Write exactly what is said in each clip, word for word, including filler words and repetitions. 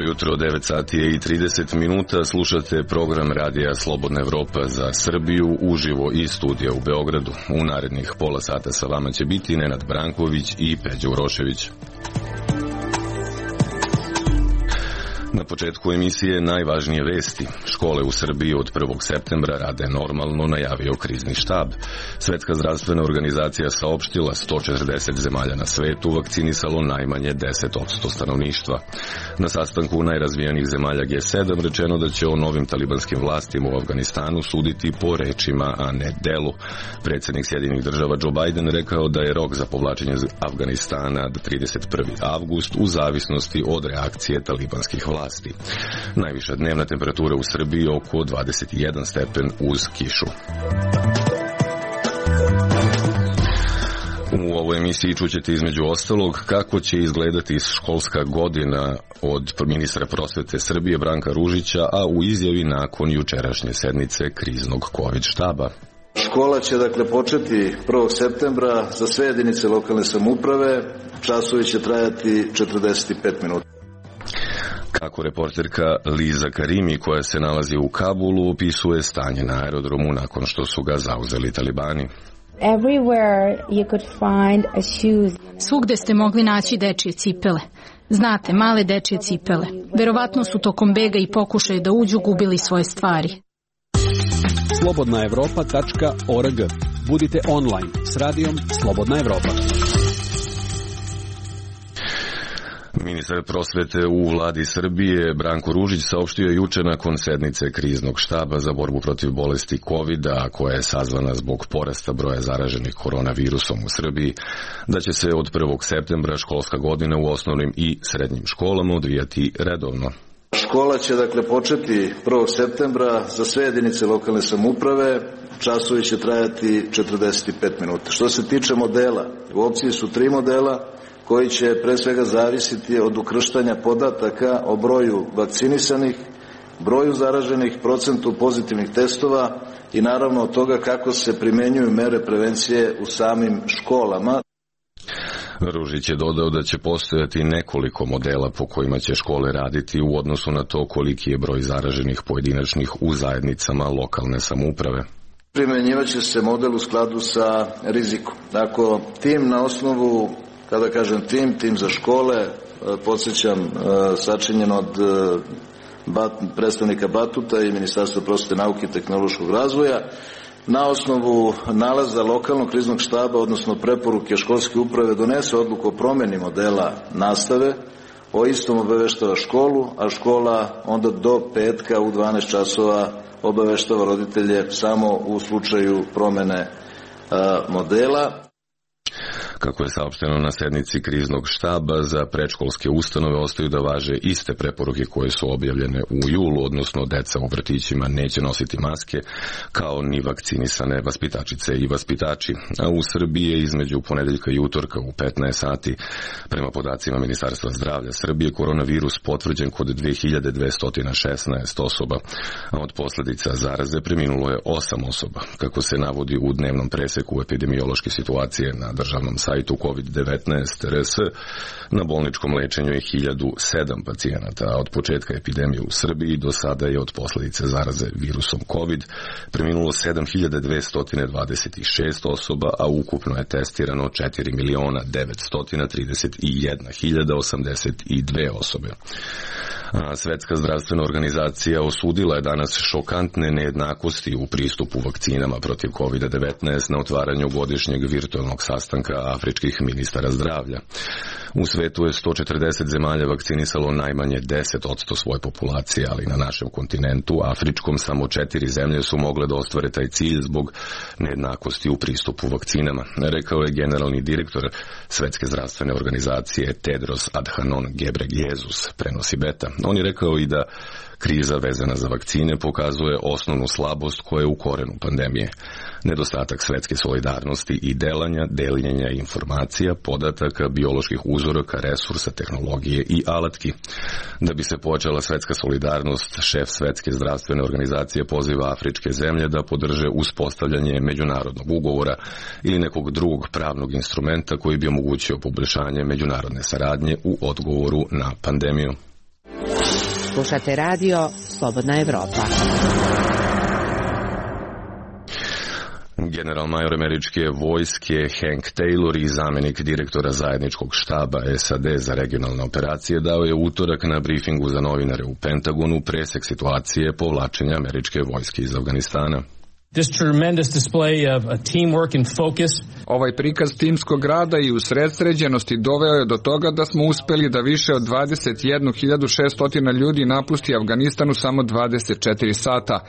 Jutro, devet sati i trideset minuta, slušate program radija Slobodna Evropa za Srbiju uživo iz studija u Beogradu. U narednih pola sata sa vama će biti Nenad Branković i Peđa Urošević. Na početku emisije najvažnije vesti. Škole u Srbiji od prvog septembra rade normalno, najavio krizni štab. Svetska zdravstvena organizacija saopštila sto četrdeset zemalja na svetu vakcinisalo najmanje deset posto stanovništva. Na sastanku najrazvijenijih zemalja G sedam rečeno da će o novim talibanskim vlastima u Afganistanu suditi po rečima, a ne delu. Predsjednik Sjedinjenih država Joe Biden rekao da je rok za povlačenje Afganistana do trideset prvog avgusta u zavisnosti od reakcije talibanskih vlasti. Najviša dnevna temperatura u Srbiji oko dvadeset jedan stepen uz kišu. U ovoj emisiji čućete između ostalog kako će izgledati školska godina od ministra prosvete Srbije Branka Ružića, a u izjavi nakon jučerašnje sednice kriznog COVID štaba. Škola će dakle početi prvog septembra za sve jedinice lokalne samouprave, časovi će trajati četrdeset pet minuta. Kako reporterka Liza Karimi, koja se nalazi u Kabulu, opisuje stanje na aerodromu nakon što su ga zauzeli talibani. Svugde ste mogli naći dečije cipele. Znate, male dečije cipele. Verovatno su tokom bega i pokušaja da uđu gubili svoje stvari. slobodna evropa tačka org. Budite online s radijom Slobodna Evropa. Ministar prosvete u vladi Srbije Branko Ružić saopštio je juče nakon sednice kriznog štaba za borbu protiv bolesti kovida, koja je sazvana zbog porasta broja zaraženih koronavirusom u Srbiji, da će se od prvog septembra školska godina u osnovnim i srednjim školama odvijati redovno. Škola će dakle početi prvog septembra za sve jedinice lokalne samouprave, časovi će trajati četrdeset pet minuta. Što se tiče modela, u opciji su tri modela koji će pre svega zavisiti od ukrštanja podataka o broju vakcinisanih, broju zaraženih, procentu pozitivnih testova i naravno od toga kako se primenjuju mere prevencije u samim školama. Ružić je dodao da će postojati nekoliko modela po kojima će škole raditi u odnosu na to koliki je broj zaraženih pojedinačnih u zajednicama lokalne samouprave. Primenjivaće se model u skladu sa rizikom. Ako tim na osnovu, kada kažem tim, tim za škole, podsjećam, sačinjen od predstavnika Batuta i Ministarstva prosvete, nauke i tehnološkog razvoja, na osnovu nalaza lokalnog kriznog štaba, odnosno preporuke školske uprave, donese odluku o promjeni modela nastave, o istom obaveštava školu, a škola onda do petka u dvanaest časova obaveštava roditelje samo u slučaju promjene modela. Kako je saopšteno na sednici kriznog štaba, za predškolske ustanove ostaju da važe iste preporuke koje su objavljene u julu, odnosno deca u vrtićima neće nositi maske, kao ni vakcinisane vaspitačice i vaspitači. A u Srbiji je između ponedeljka i utorka u petnaest sati, prema podacima Ministarstva zdravlja Srbije, koronavirus potvrđen kod dve hiljade dvesta šesnaest osoba, a od posljedica zaraze preminulo je osam osoba. Kako se navodi u dnevnom preseku epidemiološke situacije na državnom sajtu kovid devetnaest R S, na bolničkom lečenju je hiljadu sedam pacijenata, a od početka epidemije u Srbiji do sada je od posljedice zaraze virusom COVID preminulo sedam hiljada dvesta dvadeset šest osoba, a ukupno je testirano četiri miliona devetsto trideset jedna hiljada osamdeset dve osobe. A Svetska zdravstvena organizacija osudila je danas šokantne nejednakosti u pristupu vakcinama protiv kovid devetnaest na otvaranju godišnjeg virtualnog sastanka afričkih ministara zdravlja. U svetu je sto četrdeset zemalja vakcinisalo najmanje deset posto svoje populacije, ali na našem kontinentu, afričkom, samo četiri zemlje su mogle da ostvare taj cilj zbog nejednakosti u pristupu vakcinama, rekao je generalni direktor Svetske zdravstvene organizacije Tedros Adhanom Ghebreyesus, prenosi Beta. On je rekao i da kriza vezana za vakcine pokazuje osnovnu slabost koja je u korenu pandemije. nedostatak svetske solidarnosti i delanja, deljenja informacija, podataka, bioloških uzoraka, resursa, tehnologije i alatki. Da bi se počela svetska solidarnost, šef Svetske zdravstvene organizacije poziva afričke zemlje da podrže uspostavljanje međunarodnog ugovora ili nekog drugog pravnog instrumenta koji bi omogućio poboljšanje međunarodne saradnje u odgovoru na pandemiju. Slušate radio Slobodna Evropa. General major američke vojske Hank Taylor i zamenik direktora zajedničkog štaba S A D za regionalne operacije dao je utorak na brifingu za novinare u Pentagonu presek situacije povlačenja američke vojske iz Afganistana. This tremendous display of teamwork and focus. Ovaj prikaz timskog rada i usredsređenosti doveo je do toga da smo uspeli da više od dvadeset jednu hiljadu šessto ljudi napusti Afganistan u samo dvadeset četiri sata.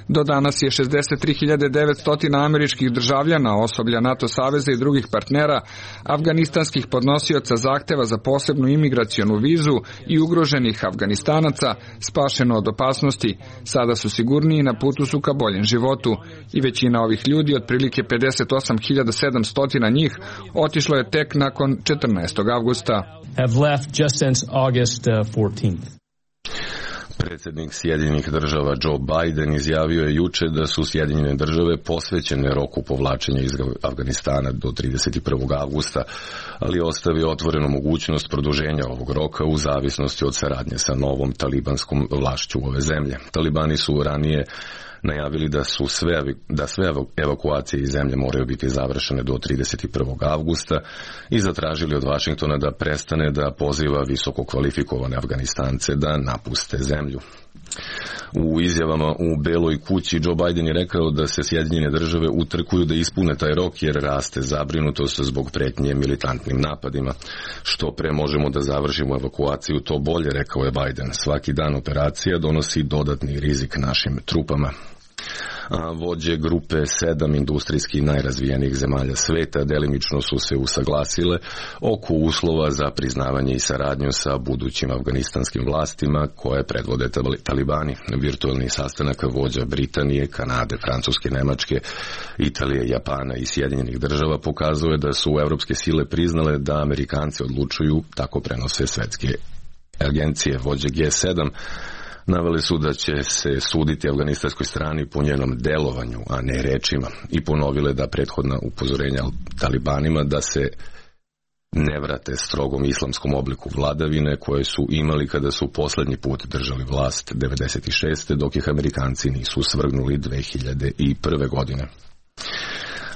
Do danas je šezdeset tri hiljade devetsto američkih državljana, osoblja NATO saveza i drugih partnera, afganistanskih podnosioca zahteva za posebnu imigracionu vizu i ugroženih Afganistanaca spašeno od opasnosti. Sada su sigurniji, na putu su ka boljem životu. I većina ovih ljudi, otprilike pedeset osam hiljada sedamsto njih, otišlo je tek nakon četrnaestog avgusta. Have left just since August fourteenth. Predsjednik Sjedinjenih država Joe Biden izjavio je juče da su Sjedinjene države posvećene roku povlačenja iz Afganistana do trideset prvog avgusta, ali ostavio otvorenu mogućnost produženja ovog roka u zavisnosti od saradnje sa novom talibanskom vlašću ove zemlje. Talibani su ranije najavili da su sve, da sve evakuacije iz zemlje moraju biti završene do trideset prvog avgusta i zatražili od Vašingtona da prestane da poziva visoko kvalifikovane Afganistance da napuste zemlju. U izjavama u Beloj kući Joe Biden je rekao da se Sjedinjene države utrkuju da ispune taj rok jer raste zabrinutost zbog pretnje militantnim napadima. Što pre možemo da završimo evakuaciju, to bolje, rekao je Biden. Svaki dan operacija donosi dodatni rizik našim trupama. A vođe grupe sedam industrijski najrazvijenijih zemalja sveta delimično su se usaglasile oko uslova za priznavanje i saradnju sa budućim afganistanskim vlastima koje predvode talibani. Virtualni sastanak vođa Britanije, Kanade, Francuske, Nemačke, Italije, Japana i Sjedinjenih država pokazuje da su evropske sile priznale da Amerikanci odlučuju, tako prenose svetske agencije. Vođe G sedam naveli su da će se suditi afganistanskoj strani po njenom delovanju, a ne rečima, i ponovile da prethodna upozorenja talibanima da se ne vrate strogom islamskom obliku vladavine koje su imali kada su poslednji put držali vlast devedeset šeste dok ih Amerikanci nisu svrgnuli dve hiljade prve godine.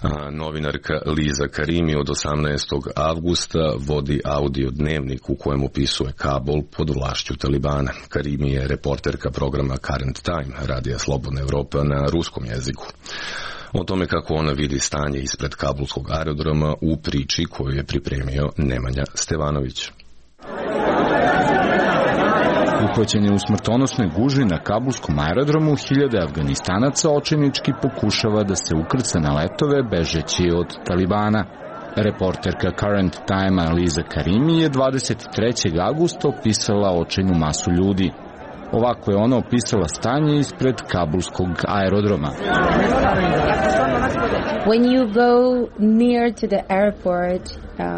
A novinarka Liza Karimi od osamnaestog avgusta vodi audio dnevnik u kojem opisuje Kabul pod vlašću Talibana. Karimi je reporterka programa Current Time, radija Slobodna Evropa na ruskom jeziku. O tome kako ona vidi stanje ispred kabulskog aerodroma u priči koju je pripremio Nemanja Stevanović. Uhvaćen je u smrtonosnoj gužvi na kabulskom aerodromu, hiljade Afganistanaca očajnički pokušava da se ukrca na letove bežeći od Talibana. Reporterka Current Time Liza Karimi je dvadeset trećeg avgusta opisala očajnu masu ljudi. Ovako je ona opisala stanje ispred kabulskog aerodroma. When you go near to the airport,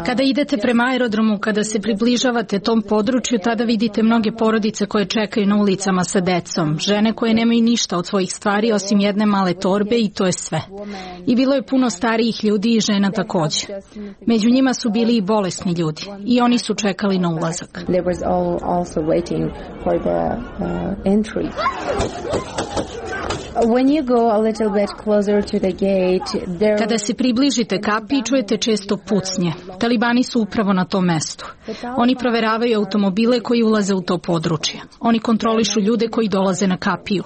Kada idete prema aerodromu, kada se približavate tom području, tada vidite mnoge porodice koje čekaju na ulicama sa decom, žene koje nemaju ništa od svojih stvari osim jedne male torbe i to je sve. I bilo je puno starijih ljudi i žena takođe. Među njima su bili i bolesni ljudi i oni su čekali na ulazak. When you go a little bit closer to the gate, there... Kada se približite kapiji, čujete često pucnje. Talibani su upravo na tom mestu. Oni proveravaju automobile koji ulaze u to područje. Oni kontrolišu ljude koji dolaze na kapiju.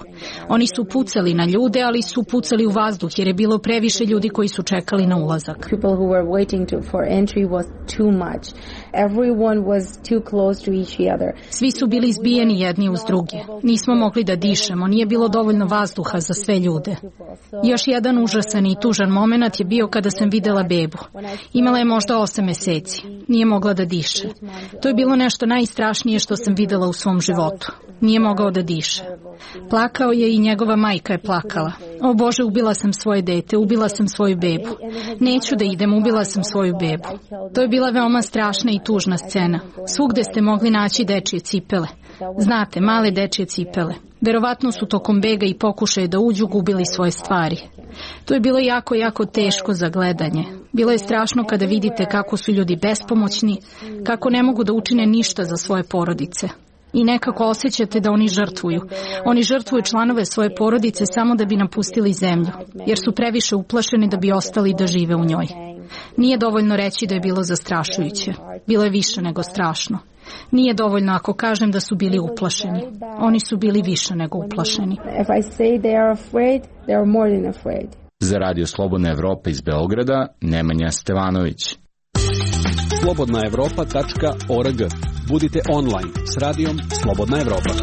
Oni su pucali na ljude, ali su pucali u vazduh jer je bilo previše ljudi koji su čekali na ulazak. People who were waiting to, for entry was too much. Everyone was too close to each other. Svi su bili zbijeni jedni uz druge. Nismo mogli da dišemo, nije bilo dovoljno vazduha duha za sve ljude. Još jedan užasan i tužan moment je bio kada sam videla bebu. Imala je možda osam meseci. Nije mogla da diše. To je bilo nešto najstrašnije što sam videla u svom životu. Nije mogao da diše. Plakao je i njegova majka je plakala. O Bože, ubila sam svoje dete, ubila sam svoju bebu. Neću da idem, ubila sam svoju bebu. To je bila veoma strašna i tužna scena. Svugde ste mogli naći dečije cipele. Znate, male dečije cipele. Verovatno su tokom bega i pokušaja da uđu gubili svoje stvari. To je bilo jako, jako teško za gledanje. Bilo je strašno kada vidite kako su ljudi bespomoćni, kako ne mogu da učine ništa za svoje porodice. I nekako osjećate da oni žrtvuju. Oni žrtvuju članove svoje porodice samo da bi napustili zemlju, jer su previše uplašeni da bi ostali da žive u njoj. Nije dovoljno reći da je bilo zastrašujuće. Bilo je više nego strašno. Nije dovoljno ako kažem da su bili uplašeni. Oni su bili više nego uplašeni. Za Radio Slobodna Evropa iz Beograda, Nemanja Stevanović. slobodna evropa tačka org. Budite online s radijom Slobodna Evropa.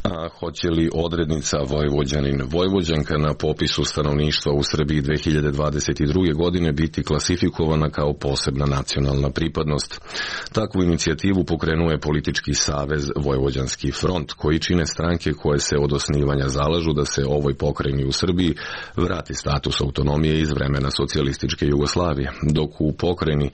A hoće li odrednica Vojvođanin Vojvođanka na popisu stanovništva u Srbiji dve hiljade dvadeset druge. godine biti klasifikovana kao posebna nacionalna pripadnost? Takvu inicijativu pokrenuo je politički savez Vojvođanski front, koji čine stranke koje se od osnivanja zalažu da se ovoj pokrajini u Srbiji vrati status autonomije iz vremena socijalističke Jugoslavije, dok u pokrajini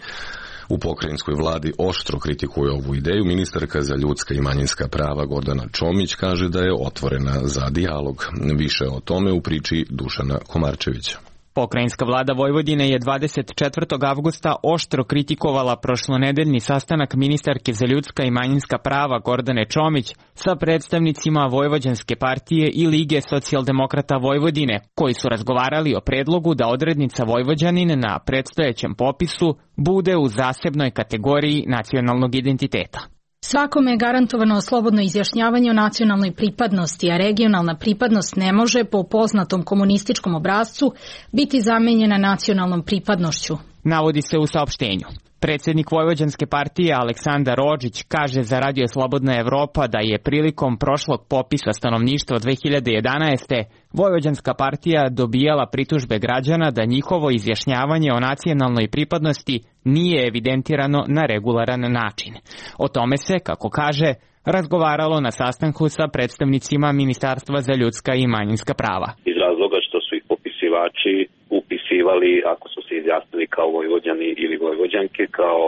U pokrajinskoj vladi oštro kritikuje ovu ideju. Ministarka za ljudska i manjinska prava Gordana Čomić kaže da je otvorena za dijalog. Više o tome u priči Dušana Komarčevića. Pokrajinska vlada Vojvodine je dvadeset četvrtog avgusta oštro kritikovala prošlonedeljni sastanak ministarke za ljudska i manjinska prava Gordane Čomić sa predstavnicima Vojvođanske partije i Lige socijaldemokrata Vojvodine, koji su razgovarali o predlogu da odrednica Vojvođanin na predstojećem popisu bude u zasebnoj kategoriji nacionalnog identiteta. Svakome je garantovano slobodno izjašnjavanje o nacionalnoj pripadnosti, a regionalna pripadnost ne može, po poznatom komunističkom obrascu, biti zamenjena nacionalnom pripadnošću. Navodi se u saopštenju. Predsjednik Vojvođanske partije Aleksandar Odžić kaže za Radio Slobodna Evropa da je prilikom prošlog popisa stanovništva dve hiljade jedanaeste. Vojvođanska partija dobijala pritužbe građana da njihovo izjašnjavanje o nacionalnoj pripadnosti nije evidentirano na regularan način. O tome se, kako kaže, razgovaralo na sastanku sa predstavnicima Ministarstva za ljudska i manjinska prava. Iz razloga što su ih popisivači upisivali, ako su se izjasnili kao Vojvođani ili Vojvođanke, kao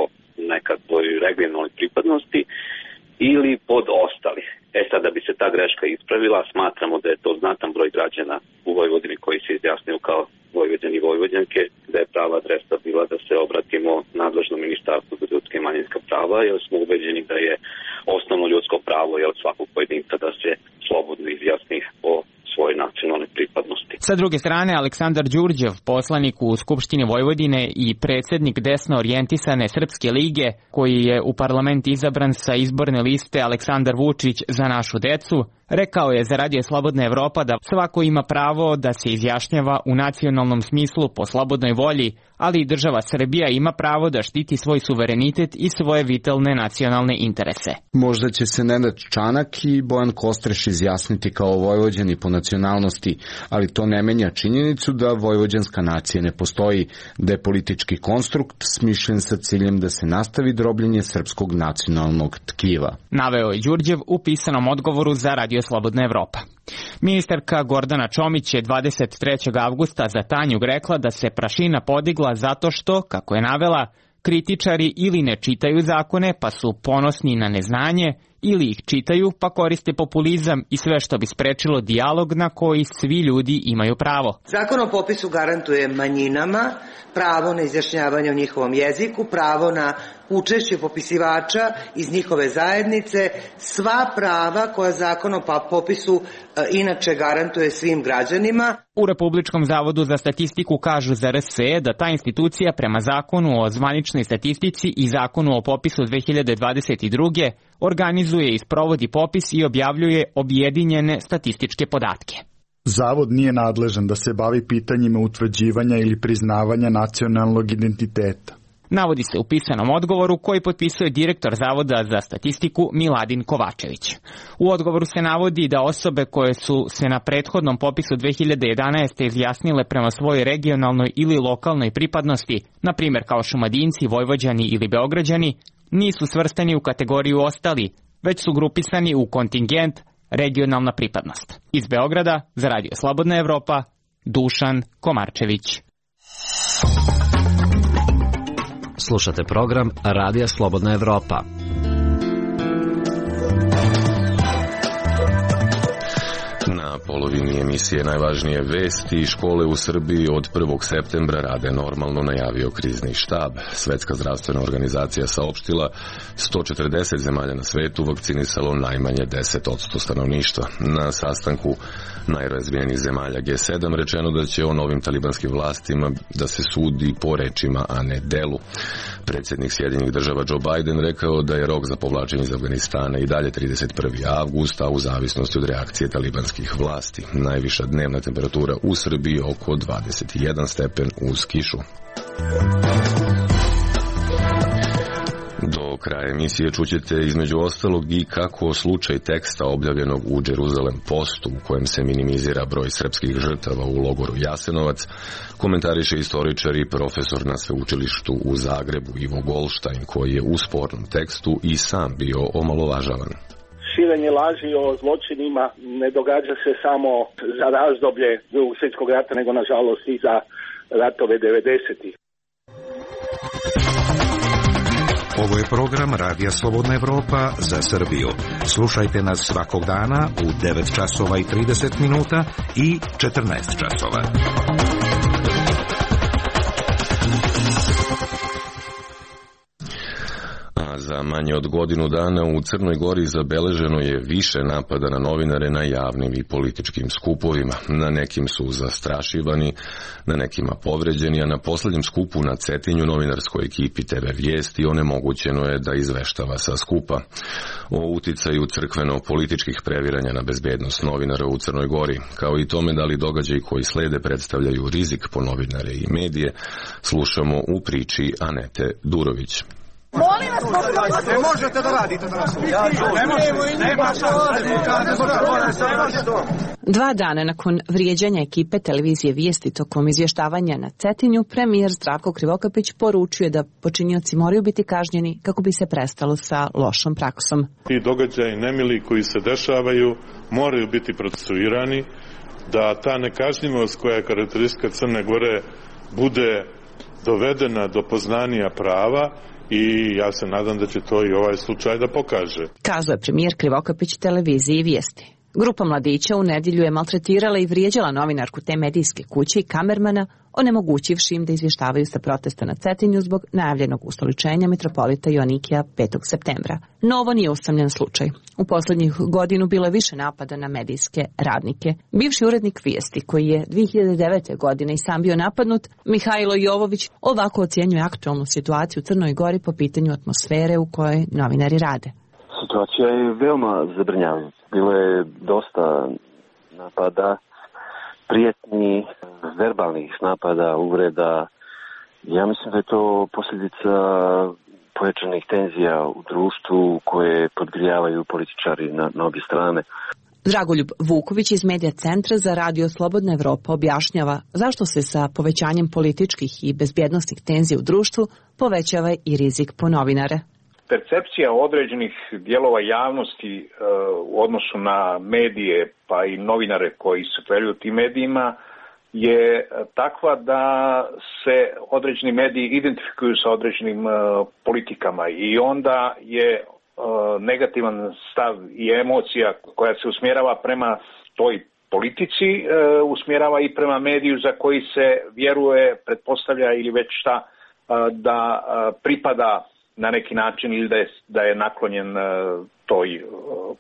nekakvoj regionalnoj pripadnosti ili pod ostali. E sad, da bi se ta greška ispravila, smatramo da je to znatan broj građana u Vojvodini koji se izjasniju kao Vojvođani i Vojvođanke, da je prava adresa bila da se obratimo nadležnom Ministarstvu za ljudska i manjinska prava, jer smo ubeđeni da je osnovno ljudsko pravo je od svakog pojedinca da se slobodno izjasni o svoje nacionalne pripadnosti. Sa druge strane, Aleksandar Đurđev, poslanik u Skupštini Vojvodine i predsjednik desno orijentisane Srpske lige, koji je u parlament izabran sa izborne liste Aleksandar Vučić za našu decu, rekao je za Radio Slobodna Evropa da svako ima pravo da se izjašnjava u nacionalnom smislu po slobodnoj volji, ali i država Srbija ima pravo da štiti svoj suverenitet i svoje vitalne nacionalne interese. Možda će se Nenad Čanak i Bojan Kostreš izjasniti kao Vojvođani po nacionalnosti, ali to ne menja činjenicu da vojvođanska nacija ne postoji, da je politički konstrukt smišljen sa ciljem da se nastavi drobljenje srpskog nacionalnog tkiva. Naveo je Đurđev u pisanom odgovoru za Radio Slobodna Evropa. Ministarka Gordana Čomić je dvadeset trećeg avgusta za Tanjug rekla da se prašina podigla zato što, kako je navela, kritičari ili ne čitaju zakone pa su ponosni na neznanje, ili ih čitaju pa koriste populizam i sve što bi sprečilo dijalog na koji svi ljudi imaju pravo. Zakon o popisu garantuje manjinama pravo na izjašnjavanje o njihovom jeziku, pravo na učešće popisivača iz njihove zajednice, sva prava koja zakon o popisu e, inače garantuje svim građanima. U Republičkom zavodu za statistiku kažu za R S E da ta institucija prema zakonu o zvaničnoj statistici i zakonu o popisu dve hiljade dvadeset druge. organizuje i sprovodi popis i objavljuje objedinjene statističke podatke. Zavod nije nadležan da se bavi pitanjima utvrđivanja ili priznavanja nacionalnog identiteta. Navodi se u pisanom odgovoru koji potpisuje direktor Zavoda za statistiku Miladin Kovačević. U odgovoru se navodi da osobe koje su se na prethodnom popisu dve hiljade jedanaeste. izjasnile prema svojoj regionalnoj ili lokalnoj pripadnosti, na primjer kao Šumadinci, Vojvođani ili Beograđani, nisu svrstani u kategoriju ostali, već su grupisani u kontingent regionalna pripadnost. Iz Beograda, za Radio Slobodna Evropa, Dušan Komarčević. Slušate program Radija Slobodna Evropa. Na polovini emisije najvažnije vesti. Škole u Srbiji od prvog septembra rade normalno, najavio krizni štab. Svetska zdravstvena organizacija saopštila sto četrdeset zemalja na svetu vakcinisalo najmanje deset posto stanovništva. Na sastanku najrazvijenijih zemalja G sedam rečeno da će o novim talibanskim vlastima da se sudi po rečima, a ne delu. Predsjednik Sjedinjenih država Joe Biden rekao da je rok za povlačenje iz Afganistana i dalje trideset prvi avgust, a u zavisnosti od reakcije talibanskih vlasti. Najviša dnevna temperatura u Srbiji oko dvadeset jedan stepen uz kišu. Do kraja emisije čućete između ostalog i kako slučaj teksta objavljenog u Jerusalem Postu, u kojem se minimizira broj srpskih žrtava u logoru Jasenovac, komentariše istoričar i profesor na sveučilištu u Zagrebu Ivo Golštajn, koji je u spornom tekstu i sam bio omalovažavan. Širenje laži o zločinima ne događa se samo za razdoblje Drugog svjetskog rata, nego nažalost i za ratove devedesetih. Ovo je program Radija Slobodna Evropa za Srbiju. Slušajte nas svakog dana u devet časova i trideset minuta i četrnaest časova. A za manje od godinu dana u Crnoj Gori zabeleženo je više napada na novinare na javnim i političkim skupovima. Na nekim su zastrašivani, na nekima povređeni, a na posljednjem skupu na Cetinju novinarskoj ekipi te ve Vijesti onemogućeno je da izveštava sa skupa. O uticaju crkveno-političkih previranja na bezbednost novinara u Crnoj Gori, kao i tome da li događaji koji slede predstavljaju rizik po novinare i medije, slušamo u priči Anete Durović. Molim vas, ne možete da radite danas. Ne možete, nema Dva dana nakon vrijeđanja ekipe televizije Vijesti tokom izvještavanja na Cetinju, premijer Zdravko Krivokapić poručio je da počinioci moraju biti kažnjeni kako bi se prestalo sa lošom praksom. Ti događaji nemili koji se dešavaju moraju biti procesuirani, da ta nekažnjivost koja je karakteristika Crne Gore bude dovedena do poznanja prava, i ja se nadam da će to i ovaj slučaj da pokaže. Kazao je premijer Krivokapić televiziji Vijesti. Grupa mladića u nedjelju je maltretirala i vrijeđala novinarku te medijske kuće i kamermana, onemogućivši im da izvještavaju sa protesta na Cetinju zbog najavljenog ustoličenja mitropolita Joanikija petog septembra. No ovo nije usamljen slučaj. U posljednjih godinu bilo je više napada na medijske radnike. Bivši urednik Vijesti, koji je dvije hiljade devete. godine i sam bio napadnut, Mihajlo Jovović, ovako ocjenjuje aktualnu situaciju u Crnoj Gori po pitanju atmosfere u kojoj novinari rade. Situacija je veoma zabrinjavajuća. Bilo je dosta napada, prijetnji, verbalnih napada, uvreda. Ja mislim da je to posljedica pojačanih tenzija u društvu koje podgrijavaju političari na, na obje strane. Dragoljub Vuković iz Medija centra za Radio Slobodna Evropa objašnjava zašto se sa povećanjem političkih i bezbjednosnih tenzija u društvu povećava i rizik po novinare. Percepcija određenih dijelova javnosti e, u odnosu na medije pa i novinare koji se pojavljuju u tim medijima je takva da se određeni mediji identifikuju sa određenim e, politikama i onda je e, negativan stav i emocija koja se usmjerava prema toj politici e, usmjerava i prema mediju za koji se vjeruje, pretpostavlja ili već šta e, da e, pripada na neki način ili da je, da je naklonjen uh, toj uh,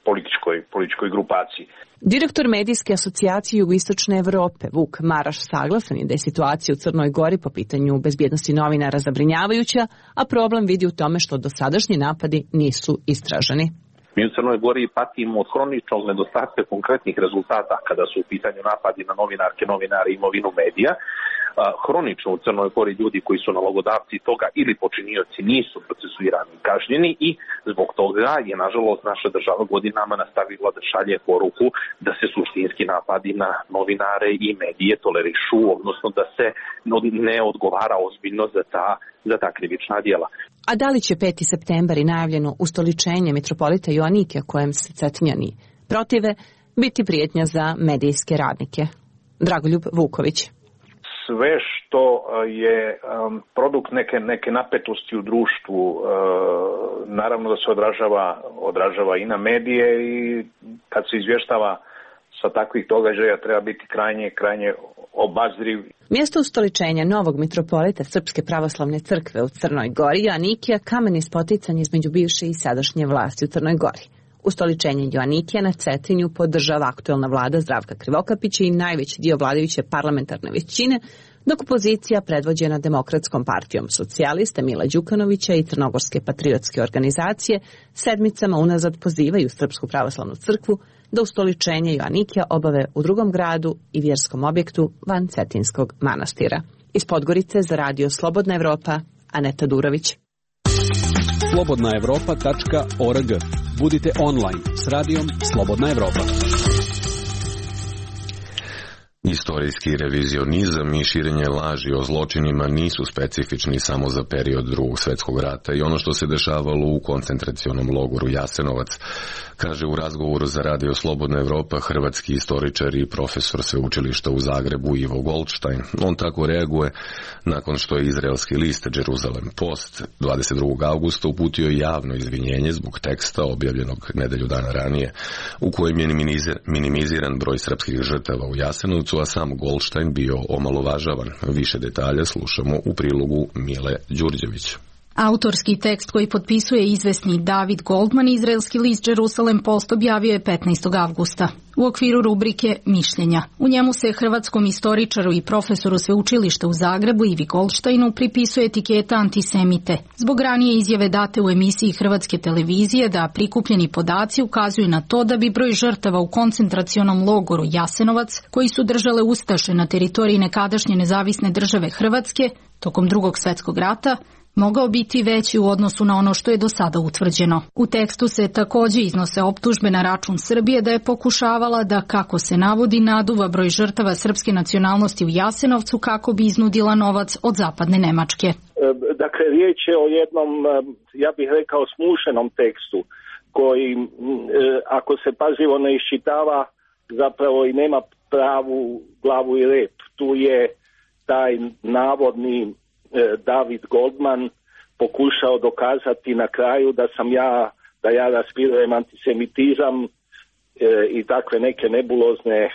političkoj, političkoj grupaciji. Direktor Medijske asocijacije Jugoistočne Evrope, Vuk Maraš, saglasan je da je situacija u Crnoj Gori po pitanju bezbjednosti novinara zabrinjavajuća, a problem vidi u tome što dosadašnji napadi nisu istraženi. Mi u Crnoj Gori patimo od hroničnog nedostatka konkretnih rezultata kada su u pitanju napadi na novinarke, novinare i imovinu medija, hronično u Crnoj Gori ljudi koji su nalogodavci toga ili počinioci nisu procesuirani i kažnjeni i zbog toga je nažalost naša država godinama nastavila da šalje poruku da se suštinski napadi na novinare i medije tolerišu, odnosno da se ne odgovara ozbiljno za ta, za ta krivična djela. A da li će peti septembar i najavljeno ustoličenje mitropolita Joanikija kojem se Cetinjani protive biti prijetnja za medijske radnike? Dragoljub Vuković. Sve što je um, produkt neke, neke napetosti u društvu, uh, naravno da se odražava, odražava i na medije i kad se izvještava sa takvih događaja treba biti krajnje, krajnje obazriv. Mjesto ustoličenja novog mitropolita Srpske pravoslavne crkve u Crnoj Gori Joanikija kamen je spoticanje između bivše i sadašnje vlasti u Crnoj Gori. Ustoličenje Joanikija na Cetinju podržava aktuelna vlada Zdravka Krivokapića i najveći dio vladajuće parlamentarne većine, dok opozicija predvođena Demokratskom partijom socijalista Mila Đukanovića i Crnogorske patriotske organizacije sedmicama unazad pozivaju Srpsku pravoslavnu crkvu da ustoličenje Joanikija obave u drugom gradu i vjerskom objektu van Cetinskog manastira. Iz Podgorice za radio Slobodna Evropa, Aneta Durović. slobodna evropa tačka org. Budite online s radijom Slobodna Evropa. Istorijski revizionizam i širenje laži o zločinima nisu specifični samo za period Drugog svjetskog rata i ono što se dešavalo u koncentracionom logoru Jasenovac, kaže u razgovoru za radio Slobodna Evropa hrvatski istoričar i profesor sveučilišta u Zagrebu Ivo Goldstein. On tako reaguje nakon što je izraelski list Jerusalem Post dvadeset drugog avgusta uputio javno izvinjenje zbog teksta objavljenog nedelju dana ranije u kojem je minimiziran broj srpskih žrtava u Jasenovcu, a sam Goldstein bio omalovažavan. Više detalja slušamo u prilogu Mile Đurđević. Autorski tekst koji potpisuje izvesni David Goldman, izraelski list Jerusalem Post objavio je petnaestog avgusta. U okviru rubrike Mišljenja. U njemu se hrvatskom istoričaru i profesoru sveučilišta u Zagrebu Ivi Goldsteinu pripisuje etiketa antisemite. Zbog ranije izjave date u emisiji Hrvatske televizije da prikupljeni podaci ukazuju na to da bi broj žrtava u koncentracionom logoru Jasenovac, koji su držale ustaše na teritoriji nekadašnje nezavisne države Hrvatske tokom Drugog svjetskog rata, mogao biti veći u odnosu na ono što je do sada utvrđeno. U tekstu se također iznose optužbe na račun Srbije da je pokušavala da, kako se navodi, naduva broj žrtava srpske nacionalnosti u Jasenovcu kako bi iznudila novac od zapadne Nemačke. Dakle, riječ je o jednom, ja bih rekao, smušenom tekstu koji, ako se pažljivo ne iščitava, zapravo i nema pravu glavu i rep. Tu je taj navodni David Goldman pokušao dokazati na kraju da sam ja, da ja raspirujem antisemitizam e, i takve neke nebulozne e,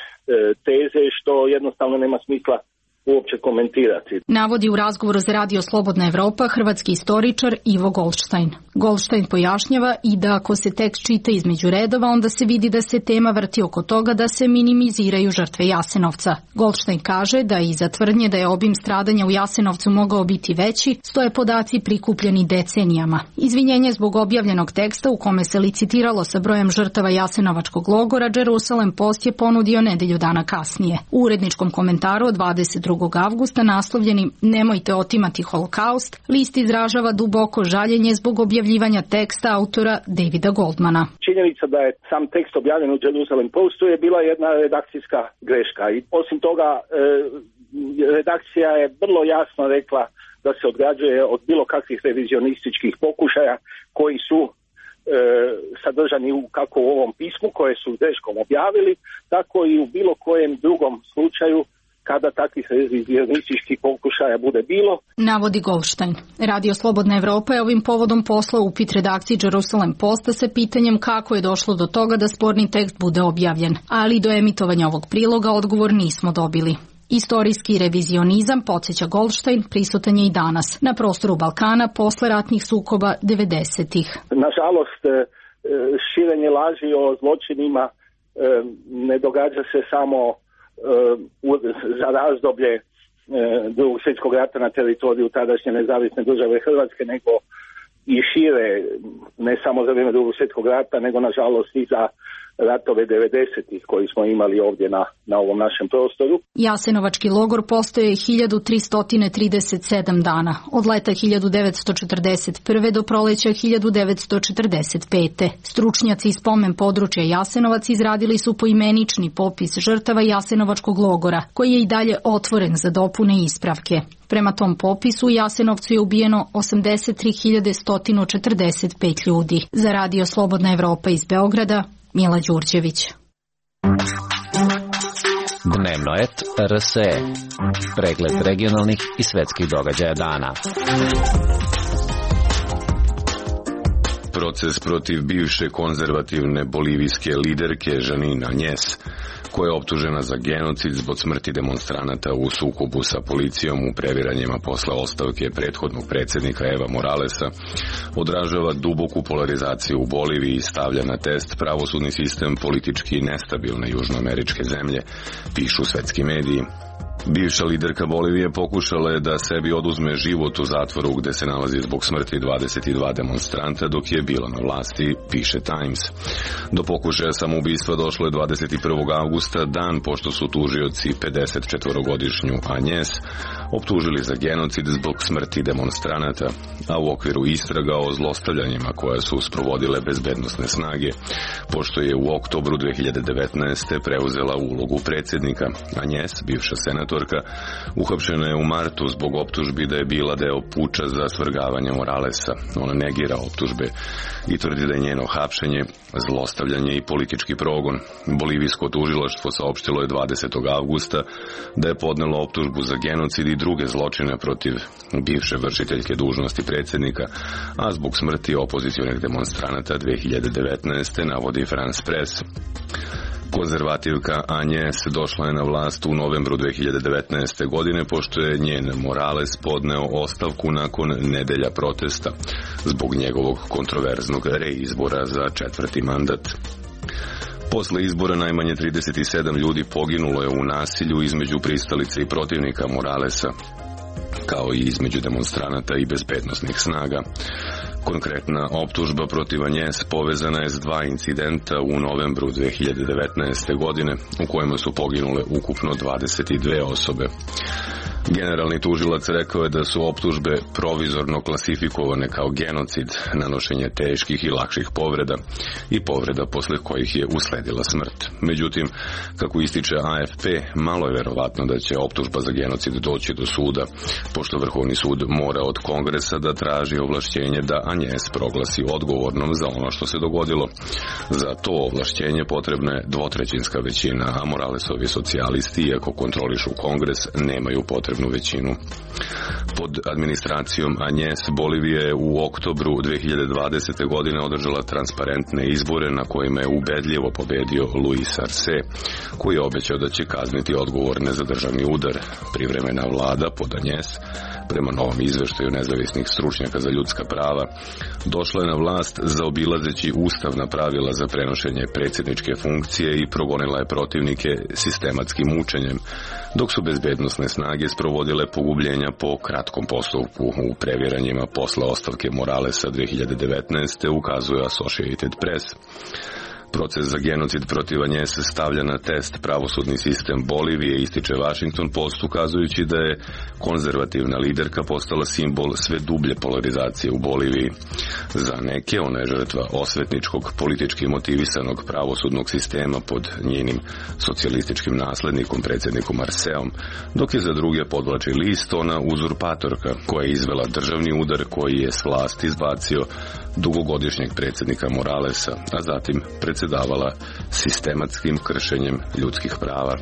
teze, što jednostavno nema smisla uopće komentirati. Navodi u razgovoru za radio Slobodna Evropa hrvatski istoričar Ivo Goldstein. Goldstein pojašnjava i da ako se tekst čita između redova, onda se vidi da se tema vrti oko toga da se minimiziraju žrtve Jasenovca. Goldstein kaže da iza tvrdnje da je obim stradanja u Jasenovcu mogao biti veći, stoje podaci prikupljeni decenijama. Izvinjenje zbog objavljenog teksta u kome se licitiralo sa brojem žrtava Jasenovačkog logora Jerusalem Post je ponudio nedelju dana kasnije. U uredničkom komentaru od dvadeset drugog avgusta naslovljenim Nemojte otimati holokaust, list izražava duboko žaljenje zbog objavljivanja teksta autora Davida Goldmana. Činjenica da je sam tekst objavljen u Jerusalem Postu je bila jedna redakcijska greška i osim toga e, redakcija je vrlo jasno rekla da se odgrađuje od bilo kakvih revizionističkih pokušaja koji su e, sadržani u, kako u ovom pismu koje su greškom objavili, tako i u bilo kojem drugom slučaju kada takvih revizionističkih pokušaja bude bilo. Navodi Goldstein. Radio Slobodna Evropa je ovim povodom poslao upit redakciji Jerusalem Posta sa pitanjem kako je došlo do toga da sporni tekst bude objavljen, ali do emitovanja ovog priloga odgovor nismo dobili. Istorijski revizionizam, podsjeća Goldstein, prisutan je i danas na prostoru Balkana posle ratnih sukoba devedesetih. Nažalost, širenje laži o zločinima ne događa se samo za razdoblje Drugog svjetskog rata na teritoriju tadašnje nezavisne države Hrvatske, nego i šire, ne samo za vrijeme Drugog svjetskog rata, nego nažalost i za ratove devedesetih koji smo imali ovdje na, na ovom našem prostoru. Jasenovački logor postoje hiljadu tristo trideset sedam dana, od leta hiljadu devetsto četrdeset prve do proleća hiljadu devetsto četrdeset pete. Stručnjaci iz spomen područja Jasenovac izradili su poimenični popis žrtava Jasenovačkog logora, koji je i dalje otvoren za dopune i ispravke. Prema tom popisu u Jasenovcu je ubijeno osamdeset tri hiljade sto četrdeset pet ljudi. Za Radio Slobodna Evropa iz Beograda, Mila Đurđević. Dnevno et R S E. Pregled regionalnih i svetskih događaja dana. Proces protiv bivše konzervativne bolivijske liderke Janine Añez, koja je optužena za genocid zbog smrti demonstranata u sukobu sa policijom u previranjima posle ostavke prethodnog predsjednika Eva Moralesa, odražava duboku polarizaciju u Boliviji i stavlja na test pravosudni sistem politički nestabilne južnoameričke zemlje, pišu svetski mediji. Bivša liderka Bolivije pokušala je da sebi oduzme život u zatvoru gde se nalazi zbog smrti dvadeset dva demonstranta dok je bila na vlasti, piše Times. Do pokušaja samoubistva došlo je dvadeset prvog avgusta, dan pošto su tužioci pedeset četvorogodišnju Añez optužili za genocid zbog smrti demonstranata, a u okviru istraga o zlostavljanjima koje su sprovodile bezbednosne snage, pošto je u oktobru dve hiljade devetnaeste. preuzela ulogu predsjednika. Añez, bivša senatorka, uhapšena je u martu zbog optužbi da je bila deo puča za svrgavanje Moralesa. Ona negira optužbe i tvrdi da je njeno hapšenje, zlostavljanje i politički progon. Bolivijsko tužilaštvo saopštilo je dvadesetog avgusta da je podnelo optužbu za genocid i druge zločine protiv bivše vršiteljke dužnosti predsjednika, a zbog smrti opozicionih demonstranata dve hiljade devetnaeste. navodi France Press. Konzervativka Añez došla je na vlast u novembru dve hiljade devetnaeste. godine, pošto je njen Morales podneo ostavku nakon nedelja protesta zbog njegovog kontroverznog reizbora za četvrti mandat. Posle izbora najmanje trideset sedam ljudi poginulo je u nasilju između pristalica i protivnika Moralesa, kao i između demonstranata i bezbednosnih snaga. Konkretna optužba protiv Añez povezana je s dva incidenta u novembru dve hiljade devetnaeste. godine, u kojima su poginule ukupno dvadeset dve osobe. Generalni tužilac rekao je da su optužbe provizorno klasifikovane kao genocid, nanošenje teških i lakših povreda i povreda posle kojih je usledila smrt. Međutim, kako ističe A F P, malo je verovatno da će optužba za genocid doći do suda, pošto Vrhovni sud mora od Kongresa da traži ovlašćenje da Añez proglasi odgovornom za ono što se dogodilo. Za to ovlašćenje potrebna je dvotrećinska većina, a Moralesovi socijalisti, iako kontrolišu Kongres, nemaju potrebnu većinu. Pod administracijom Añez, Bolivija je u oktobru dve hiljade dvadesete. godine održala transparentne izbore na kojima je ubedljivo pobedio Luis Arce, koji je obećao da će kazniti odgovorne za državni udar. Privremena vlada pod Añez, prema novom izveštaju nezavisnih stručnjaka za ljudska prava, došla je na vlast zaobilazeći ustavna pravila za prenošenje predsjedničke funkcije i progonila je protivnike sistematskim mučenjem, dok su bezbednosne snage sprovodile pogubljenja po kratkom postupku u previranjima posle ostavke Moralesa dve hiljade devetnaeste. ukazuje Associated Press. Proces za genocid protiv Añez stavlja na test pravosudni sistem Bolivije, ističe Washington Post, ukazujući da je konzervativna liderka postala simbol sve dublje polarizacije u Boliviji. Za neke ona je žrtva osvetničkog, politički motivisanog pravosudnog sistema pod njenim socijalističkim naslednikom, predsjednikom Arceom, dok je za druge podvlači list ona uzurpatorka koja je izvela državni udar koji je s vlasti izbacio dugogodišnjeg predsjednika Moralesa, a zatim predsjedavala sistematskim kršenjem ljudskih prava.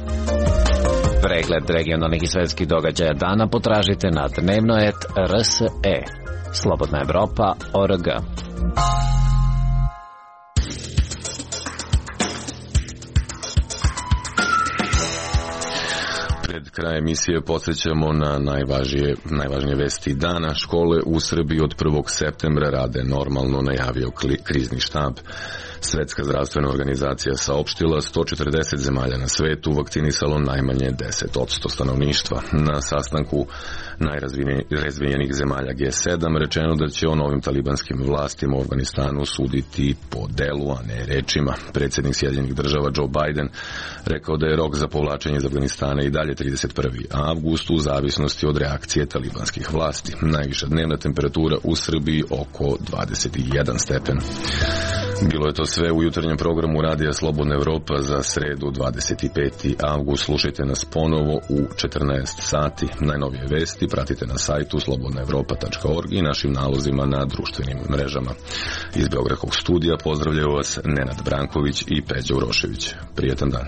Pregled regionalnih i svetskih događaja dana potražite na dnevno et R S E. Slobodna Evropa, O R G. kraj emisije podsjećamo na najvažnije, najvažnije vesti dana. Škole u Srbiji od prvog septembra rade normalno, najavio krizni štab. Svetska zdravstvena organizacija saopštila sto četrdeset zemalja na svetu vakcinisalo najmanje deset posto stanovništva. Na sastanku najrazvijenijih zemalja G sedam rečeno da će o novim talibanskim vlastima u Afganistanu suditi po delu, a ne rečima. Predsjednik Sjedinjenih država Joe Biden rekao da je rok za povlačenje iz Afganistana i dalje trideset prvi avgust u zavisnosti od reakcije talibanskih vlasti. Najviša dnevna temperatura u Srbiji oko dvadeset jedan stepen. Bilo je to sve u jutarnjem programu Radija Slobodna Evropa za sredu dvadeset peti avgust. Slušajte nas ponovo u četrnaest sati. Najnovije vesti pratite na sajtu slobodna evropa tačka org i našim nalozima na društvenim mrežama. Iz Beogradskog studija pozdravljaju vas Nenad Branković i Peđa Urošević. Prijetan dan.